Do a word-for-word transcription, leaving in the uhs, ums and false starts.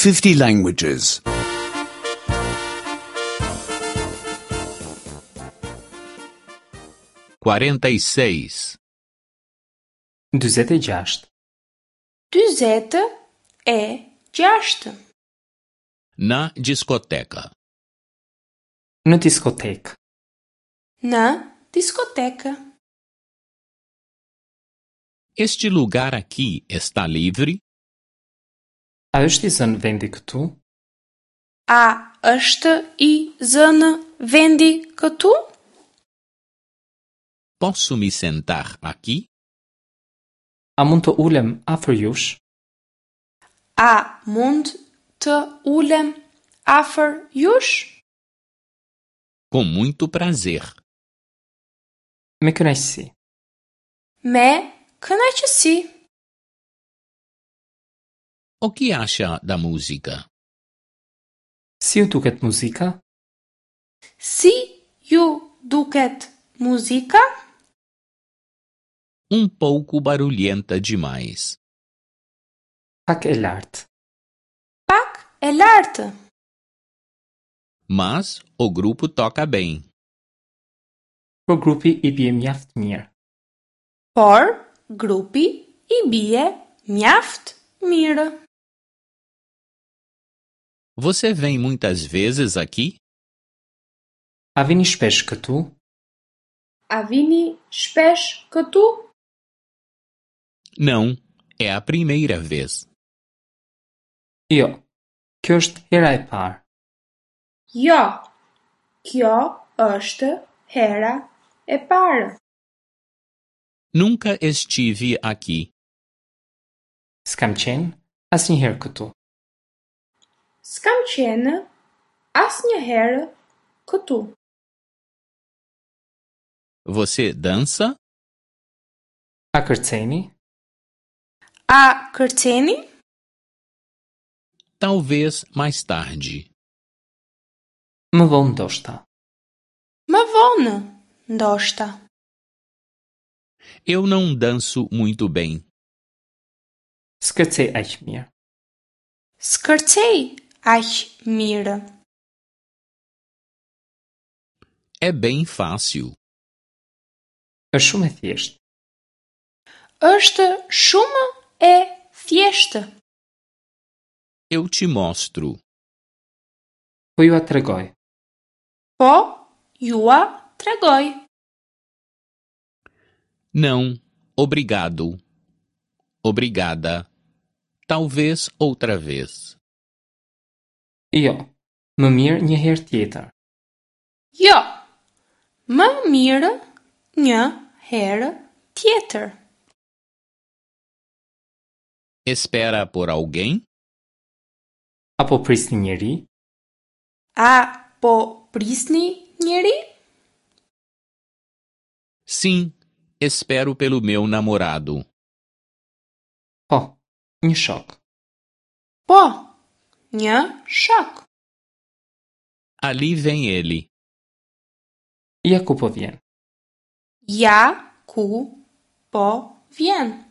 fifty languages. quarenta e seis, dyzet e gjashtë, Dyzet e gjashtë. Na discoteca. Në diskotekë. Në diskotekë. Este lugar aqui está livre? A është i zënë vendi këtu? A është i zënë vendi këtu? Posso me sentar aqui? A mund të ulem afër jush? A mund të ulem afër jush? Com muito prazer. Me kënaqësi. Me kënaqësi. O que acha da música? Si ju duket muzika? Si ju duket muzika? Um pouco barulhenta demais. Pak e lartë. Pak e lartë. Mas o grupo toca bem. Por grupi i bie mjaft mirë. Por grupi i bie mjaft mirë. Você vem muitas vezes aqui? A vini shpesh këtu? A vini shpesh këtu? Não, é a primeira vez. Jo, kjo është hera e parë. Jo, kjo është hera e parë. Nunca estive aqui. S'kam qenë asnjëherë këtu. S'kam qenë asnjëherë këtu. Você dança? A kërceni? A kërceni? Talvez mais tarde. Më vonë ndoshta. Më vonë, ndoshta. Eu não danço muito bem. S'kërcej aq mirë. S'kërcej aq mirë. É bem fácil. Është shumë e thjeshtë. Është shumë e thjeshtë. Eu te mostro. Po jua tregoj. Po jua tregoj. Não, obrigado. Obrigada. Talvez outra vez. Jo, më mirë një herë tjetër. Jo, më mirë një herë tjetër. Espera por alguém? Apo prisni njeri? A po prisni njeri? Sim, espero pelo meu namorado. Po, një shok. Po, një shok. Ali vem ele. Ja ku po vjen. Ja ku po vjen.